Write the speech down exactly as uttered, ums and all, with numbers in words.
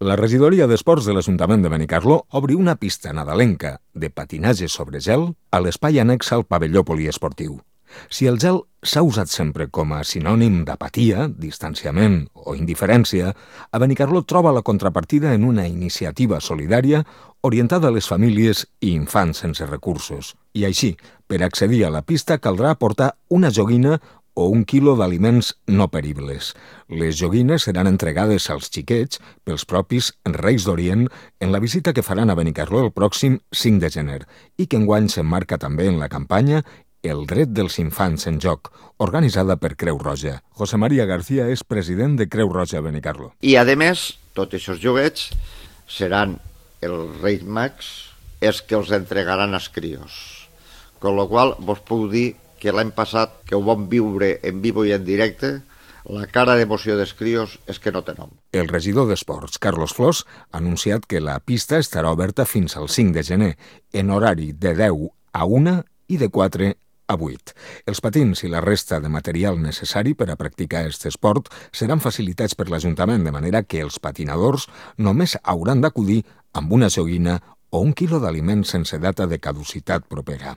La regidoria d'Esports de l'Ajuntament de Benicarló obri una pista nadalenca de patinatge sobre gel a l'espai annex al pavelló poliesportiu. Si el gel s'ha usat sempre com a sinònim d'apatia, distanciament o indiferència, a Benicarló troba la contrapartida en una iniciativa solidària orientada a les famílies i infants sense recursos. I així, per accedir a la pista caldrà portar una joguina o un quilo d'aliments no peribles. Les joguines seran entregades als xiquets pels propis Reis d'Orient en la visita que faran a Benicarló el pròxim cinc de gener i que enguany s'emmarca també en la campanya El dret dels infants en joc, organitzada per Creu Roja. José María García és president de Creu Roja Benicarló. I, a més, tots aquests joguets seran els Reis Mags els que els entregaran als crios. Con lo qual, vos puc dir que l'any passat, que ho vam viure en vivo i en directe, la cara d'emoció dels crios és que no té nom. El regidor d'Esports, Carlos Flors, ha anunciat que la pista estarà oberta fins al cinc de gener, en horari de deu a una i de quatre a vuit. Els patins i la resta de material necessari per a practicar aquest esport seran facilitats per l'Ajuntament, de manera que els patinadors només hauran d'acudir amb una joguina o un quilo d'aliments sense data de caducitat propera.